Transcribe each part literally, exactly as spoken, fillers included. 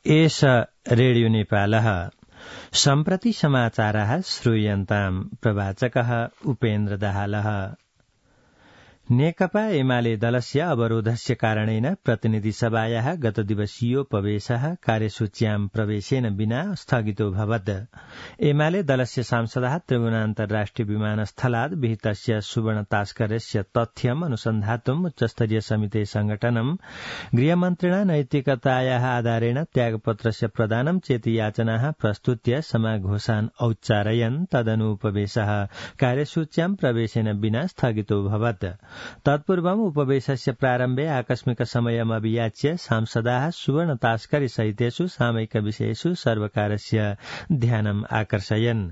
एष रेडियो नेपालः सम्प्रति समाचारः श्रूयन्ताम् प्रवाचकः उपेन्द्र दाहालः। नेकपा एमाले दलस्य अवरोधस्य कारणेन प्रतिनिधि सभायाः गत दिवसीयोपवेशः कार्यसूच्यां प्रवेशेन विना स्थगितोऽभवत्। एमाले दलस्य सांसदाः त्रिभुवनान्तर्राष्ट्रिय विमानस्थलात् विहितस्य सुवर्णतास्कर्यस्य तथ्यम् अनुसन्धातुम् उच्चस्तरीय समिते संगठनम् गृहमन्त्रिणा नैतिकतायाः आधारेण त्यागपत्रस्य प्रदानं चेति याचनाः प्रस्तुत्य समाघोषान् औच्चारयन् तदनु उपवेशः कार्यसूच्यां प्रवेशेन विना स्थगितोऽभवत्। तत्पूर्वम् उपवेशस्य प्रारम्भे आकस्मिक समयम् अभियाच्य सांसदाः सुवर्ण तास्करी सहितेषु सामयिक विषयेषु सर्वकारस्य ध्यानम् आकर्षयन्।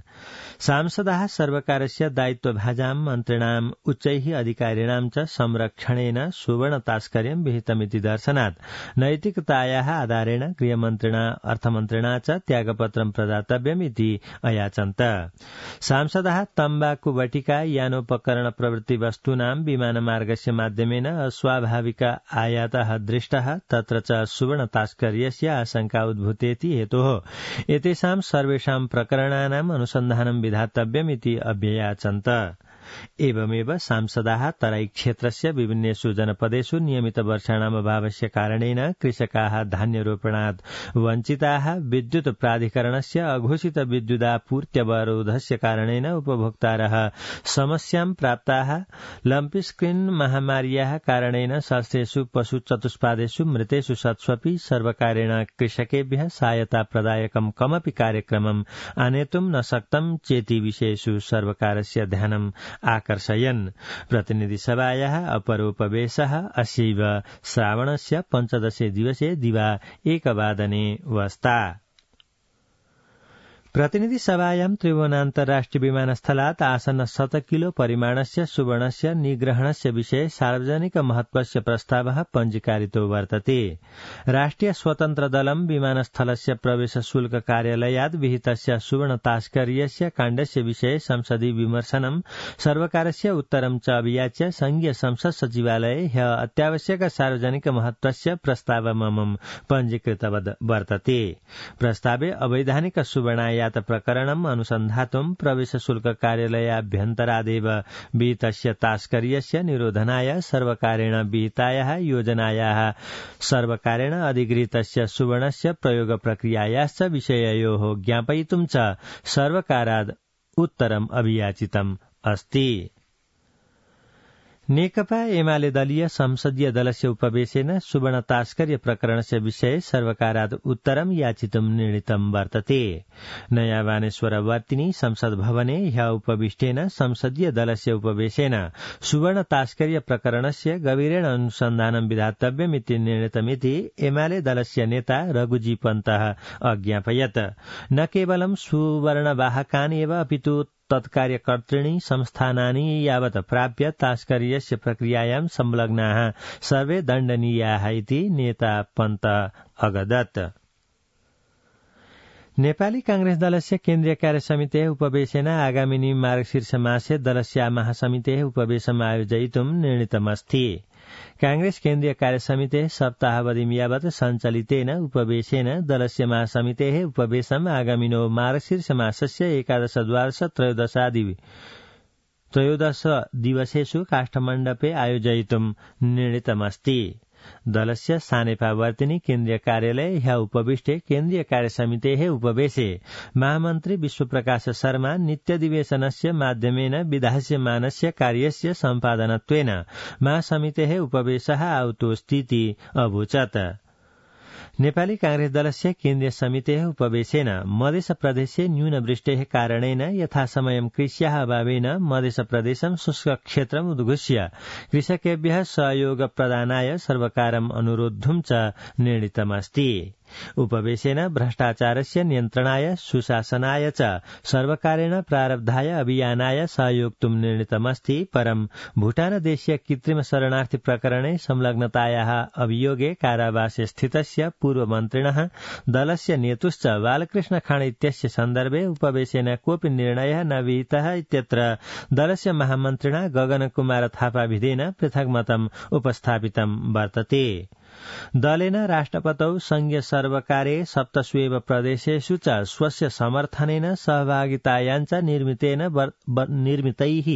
सांसदाः सर्वकारस्य दायित्वभाजां मन्त्रिणाम् उच्चैः अधिकारिणां च संरक्षणेन सुवर्ण तास्कर्यं विहितमिति दर्शनात् नैतिकतायाः आधारेण गृहमन्त्रिणा अर्थमन्त्रिणा च त्यागपत्रं प्रदातव्यमिति अयाचन्त। सांसदाः तम्बाकु वटिका यानोपकरण प्रवृत्ति वस्तूनां विमानमार्गस्य माध्यमेन अस्वाभाविक आयातः दृष्टः तत्र च सुवर्ण तास्कर्यस्य आशंका उद्भूतेति हेतोः एतेषां सर्वेषां प्रकरणानाम् अनुसन्धानं विधातव्यमिति अभ्ययाचन्त। एवमेव सांसदाः तराई क्षेत्रस्य विभिन्नेषु जनपदेषु नियमित वर्षाणाम् अभावस्य कारणेन कृषकाः धान्यरोपणात् वञ्चिताः, विद्युत् प्राधिकरणस्य अघोषित विद्युदापूर्त्यवरोधस्य कारणेन उपभोक्तारः समस्यां प्राप्ताः, लम्पी स्क्रीन महामार्याः कारणेन षष्ठेषु पशु चतुष्पादेषु मृतेषु सत्स्वपि सर्वकारेण कृषकेभ्यः सहायता प्रदायकं कमपि कार्यक्रमम् आनेतुं न शक्तं चेति विषयेषु सर्वकारस्य ध्यानम् आकर्षयन्। प्रतिनिधिसभायाः अपरोपवेशः अस्यैव श्रावणस्य पञ्चदशे दिवसे दिवा एकवादने वस्ता। प्रतिनिधि सभायां त्रिभुवनान्तर्राष्ट्रिय विमानस्थलात् आसन्न शत किलो परिमाणस्य सुवर्णस्य निग्रहणस्य विषये सार्वजनिक महत्वस्य प्रस्तावः पञ्जीकारितो वर्तते। राष्ट्रिय स्वतन्त्र दलं विमानस्थलस्य प्रवेश शुल्क कार्यालयात् विहितस्य सुवर्ण तास्कर्यस्य काण्डस्य विषये संसदि विमर्शनं सर्वकारस्य उत्तरं च अभियाच्य संघीय संसद सचिवालये ह्य अत्यावश्यक सार्वजनिक महत्वस्य प्रस्तावमं पञ्जीकृतवद् वर्तते। प्रस्तावे अवैधानिक सुवर्ण यात प्रकरणम् अनुसन्धातुं प्रवेश शुल्क कार्यालयाभ्यन्तरादेव विहितस्य तास्कर्यस्य निरोधनाय सर्वकारेण विहितायाः योजनायाः सर्वकारेण अधिगृहीतस्य सुवर्णस्य प्रयोग प्रक्रियायाश्च विषययोः ज्ञापयितुं च सर्वकाराद् उत्तरम् अभियाचितम् अस्ति। नेकपा एमाले दलीय संसदीय दलस्य उपवेशेन सुवर्ण तास्कर्य प्रकरणस्य विषये सर्वकाराद् उत्तरं याचितुं निर्णीतं वर्तते। नया बानेश्वरवर्तिनी संसद भवने ह्य उपविष्टेन संसदीय दलस्य उपवेशेन सुवर्ण तास्कर्य प्रकरणस्य गभीरेण अनुसन्धानं विधातव्यमिति निर्णीतमिति एमाले दलस्य नेता रघुजी पन्तः अज्ञापयत्। न केवलं सुवर्णवाहकान् एव अपितु तत्कार्यकर्तृणि संस्थानानि यावत् प्राप्य तास्कर्यस्य प्रक्रियायां संलग्नाः सर्वे दण्डनीयाः इति नेता पन्त अगदत्। नेपाली कांग्रेस दलस्य केन्द्रीय कार्यसमितेः उपवेशेन आगामिनी मार्गशीर्षमासे दलस्य महासमितेः उपवेशम् आयोजयितुं निर्णीतमस्ति। कांग्रेस केन्द्रीय कार्यसमितेः सप्ताहावधिं यावत् सञ्चालितेन उपवेशेन दलस्य महासमितेः उपवेशम् आगामिनो मार्गशीर्षमासस्य एकादश द्वादश त्रयोदशादि त्रयोदश दिवसेषु काष्ठमण्डपे आयोजयितुं निर्णीतमस्ति। दलस्य सानेपावर्तिनी केन्द्रीय कार्यालये ह्य उपविष्टे केन्द्रीय कार्यसमितेः उपवेशे महामन्त्री विश्वप्रकाश शर्मा नित्यधिवेशनस्य माध्यमेन विधास्यमानस्य कार्यस्य सम्पादनत्वेन महासमितेः उपवेशः आहुतोऽस्तीति अवोचत्। नेपाली कांग्रेस दलस्य केन्द्रीय समितेः उपवेशेन मध्य प्रदेशे न्यूनवृष्टेः कारणेन यथासमयं कृष्याः अभावेन मध्य प्रदेशं शुष्क क्षेत्रम् उद्घोष्य कृषकेभ्यः सहयोग प्रदानाय सर्वकारम् अनुरोद्धुं च निर्णीतमस्ति। उपवेशेन भ्रष्टाचारस्य नियन्त्रणाय सुशासनाय च सर्वकारेण प्रारब्धाय अभियानाय सहयोक्तुं निर्णीतमस्ति। परं भूटानदेशीय कृत्रिम शरणार्थी प्रकरणे संलग्नतायाः अभियोगे कारावासे स्थितस्य पूर्वमन्त्रिणः दलस्य नेतुश्च बालकृष्ण खाँड इत्यस्य सन्दर्भे उपवेशेन कोऽपि निर्णयः न विहितः इत्यत्र दलस्य महामन्त्रिणा गगनकुमार थापाभिधेन पृथक् मतम् उपस्थापितं वर्तते। दलेन राष्ट्रपतौ संघीय सर्वकारे सप्तस्वेव प्रदेशेषु च स्वस्य समर्थनेन सहभागितायाञ्च निर्मितेन निर्मितैः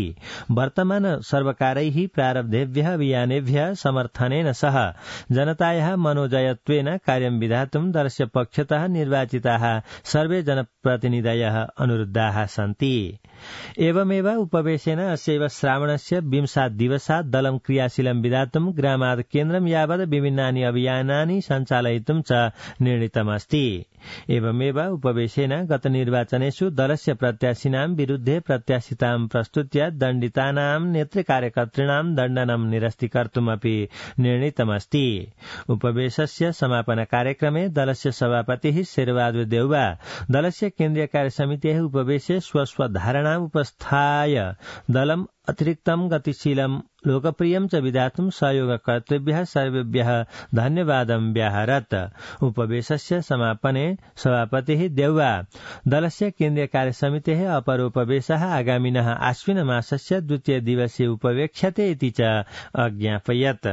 वर्तमान सर्वकारैः प्रारब्धेभ्यः अभियानेभ्यः समर्थनेन सह जनतायाः मनोजयत्वेन कार्यं विधातुं दलस्य पक्षतः निर्वाचिताः सर्वे जनप्रतिनिधयः अनुरुद्धाः सन्ति। एवमेव उपवेशेन अस्यैव श्रावणस्य विंशात् दिवसात् दलं क्रियाशीलं विधातुं ग्रामात् केन्द्रं यावत् विभिन्नानि अभियानानि सञ्चालयितुं च निर्णीतमस्ति। एवमेव उपवेशेन गत निर्वाचनेषु दलस्य प्रत्याशिनां विरुद्धे प्रत्याशितां प्रस्तुत्य दण्डितानां नेतृकार्यकर्तॄणां दण्डनं निरस्तीकर्तुमपि निर्णीतमस्ति। उपवेशस्य समापन कार्यक्रमे दलस्य सभापतिः शेरबहादुर देउवा दलस्य केन्द्रीय कार्यसमितेः उपवेशे स्वस्वधारणाम् उपस्थाय दलम् अतिरिक्तं गतिशीलं लोकप्रियं च विधातुं सहयोगकर्तृभ्यः सर्वेभ्यः धन्यवादं व्याहरत्। उपवेशस्य समापने सभापतिः देउवा दलस्य केन्द्रीय कार्यसमितेः अपरोपवेशः आगामिनः आश्विनमासस्य द्वितीय दिवसे उपवेक्ष्यते इति च अज्ञापयत्।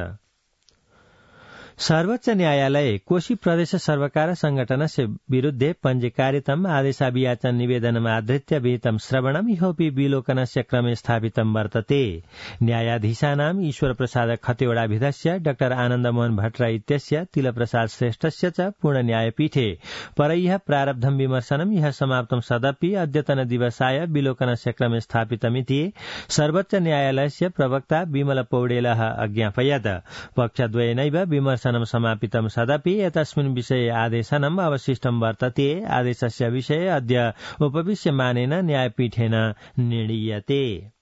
सर्वोच्च न्यायालये कोशी प्रदेश सर्वकार संघटनस्य विरुद्धे पञ्जीकारितम् आदेशाभियाचन निवेदनम् आधृत्य विहितं श्रवणम् इहोपि विलोकनस्य क्रमे स्थापितं वर्तते। न्यायाधीशानाम् ईश्वर प्रसाद खतिवड़ाभिधस्य डाक्टर आनन्दमोहन भट्टराय इत्यस्य तिलप्रसाद श्रेष्ठस्य च पूर्ण न्यायपीठे परह्यः प्रारब्धं विमर्शनम् इह समाप्तं सदपि अद्यतन दिवसाय विलोकनस्य क्रमे स्थापितमिति सर्वोच्च न्यायालयस्य प्रवक्ता विमल पौडेलः अज्ञापयत्। पक्षद्वयेनैव विमर्शनं समापितं सदपि एतस्मिन् विषये आदेशनम् अवशिष्टं वर्तते। आदेशस्य विषये अद्य उपविश्यमानेन न्यायपीठेन निर्णीयते।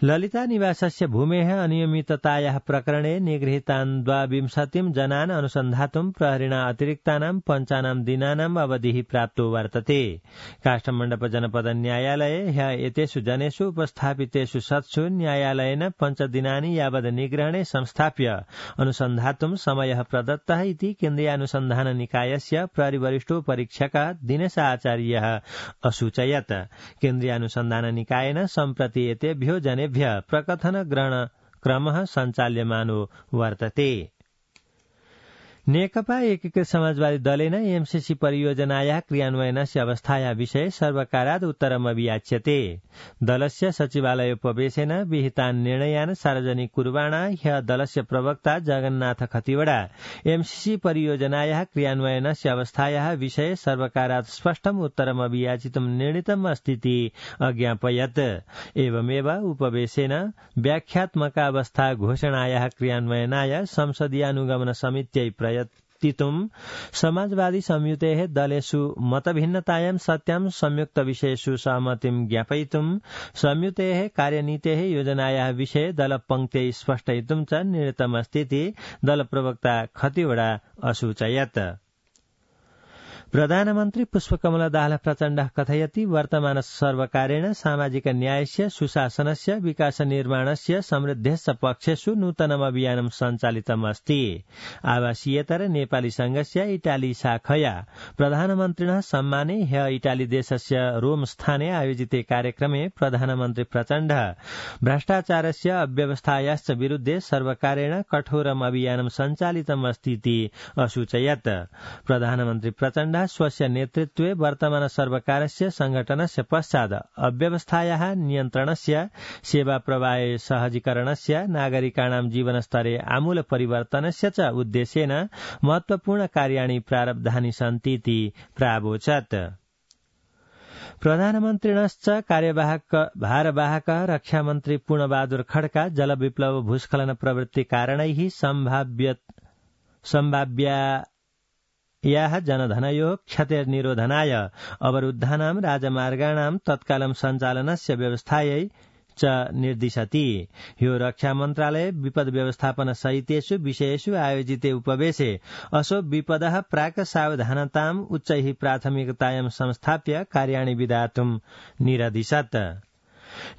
ललिता निवासस्य भूमेः अनियमिततायाः प्रकरणे निगृहीतान् द्वाविंशतिं जनान् अनुसन्धातुं प्रहरिणा अतिरिक्तानां पञ्चानां दिनानाम् अवधिः प्राप्तो वर्तते। काष्ठमण्डप जनपद न्यायालये ह्यः एतेषु जनेषु उपस्थापितेषु शतसु न्यायालयेन पञ्चदिनानि यावत् निग्रहणे संस्थाप्य अनुसन्धातुं समयः प्रदत्तः इति केन्द्रीयानुसन्धान निकायस्य प्रहरीवरिष्ठोपरीक्षकः दिनेश आचार्यः असूचयत्। केन्द्रीयानुसन्धान निकायेन सम्प्रति एतेभ्यो जने प्रकथन ग्रहण क्रमः सञ्चाल्यमानो वर्तते। नेकपा एकीकृत समाजवादी दलेन एमसीसी परियोजनायाः क्रियान्वयनस्य अवस्थायाः विषये सर्वकारात् उत्तरम् अभियाच्यते। दलस्य सचिवालयोपवेशेन विहितान् निर्णयान् सार्वजनिक कुर्वाणा ह्यः दलस्य प्रवक्ता जगन्नाथ खतिवड़ा एमसीसी परियोजनायाः क्रियान्वयनस्य अवस्थायाः विषये सर्वकारात् स्पष्टम् उत्तरम् अभियाचितुं निर्णीतम् अस्तीति अज्ञापयत्। एवमेव उपवेशेन व्याख्यात्मकावस्था घोषणायाः क्रियान्वयनाय संसदीयानुगमन समित्यै प्रयतितुं समाजवादी संयुतेः दलेषु मतभिन्नतायां सत्यां संयुक्त विषयेषु सहमतिं ज्ञापयितुं संयुतेः कार्यनीतेः योजनायाः विषये दलपङ्क्त्यै स्पष्टयितुं च निर्णीतमस्तीति दलप्रवक्ता खतिवड़ा असूचयत्। प्रधानमन्त्री पुष्पकमल दाहाल प्रचण्डः कथयति वर्तमान सर्वकारेण सामाजिक न्यायस्य सुशासनस्य विकास निर्माणस्य समृद्धेश्च पक्षेषु नूतनम् अभियानं सञ्चालितम् अस्ति। आवासीयेतर नेपाली संघस्य इटाली शाखया प्रधानमन्त्रिणः सम्माने ह्यः इटाली देशस्य रोम स्थाने आयोजिते कार्यक्रमे प्रधानमन्त्री प्रचण्डः भ्रष्टाचारस्य अव्यवस्थायाश्च विरुद्धे सर्वकारेण कठोरम् अभियानं सञ्चालितम् अस्तीति असूचयत्। प्रधानमन्त्री प्रचण्डः स्वस्य नेतृत्वे वर्तमान सर्वकारस्य संघटनस्य पश्चात् अव्यवस्थायाः नियन्त्रणस्य सेवा प्रवाहे सहजीकरणस्य नागरिकाणां जीवनस्तरे आमूल परिवर्तनस्य च उद्देश्येन महत्वपूर्ण कार्याणि प्रारब्धानि सन्तीति प्रावोचत्। प्रधानमन्त्रिणश्च कार्यवाहक भारवाहकः रक्षामन्त्री पूर्णबहादुर खड्का जलविप्लव भूस्खलन प्रवृत्ति कारणैः सम्भाव्य सम्भाव्या याः जनधनयोः क्षतिर्निरोधनाय अवरुद्धानां राजमार्गाणां तत्कालं सञ्चालनस्य व्यवस्थायै च निर्दिशति। ह्यो रक्षा मन्त्रालय विपद व्यवस्थापन सहितेषु विषयेषु आयोजिते उपवेशे असो विपदः प्राक् सावधानताम् उच्चैः प्राथमिकतायां संस्थाप्य कार्याणि विधातुं निरदिशत्।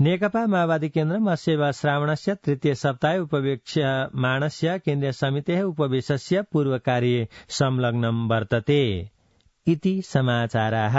नेकपा माओवादी केन्द्रम् अस्यैव श्रावणस्य तृतीय सप्ताहे उपवेक्ष्यमाणस्य केन्द्रीय समितेः उपवेशस्य पूर्वकार्ये संलग्नं वर्तते इति समाचाराः।